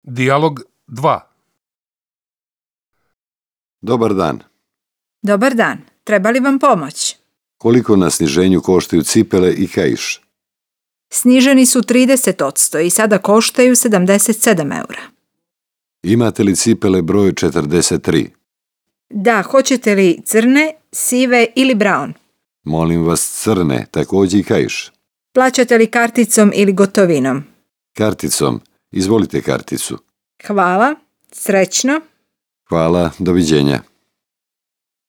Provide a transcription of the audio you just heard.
Dijalog 2. Dobar dan. Dobar dan. Treba li vam pomoć? Koliko na sniženju koštaju cipele i kaiš? Sniženi su 30% i sada koštaju 77 eura. Imate li cipele broj 43? Da, hoćete li crne, sive ili brown? Molim vas crne, također i kaiš. Plaćate li karticom ili gotovinom? Karticom. Izvolite karticu. Hvala. Srećno. Hvala, doviđenja.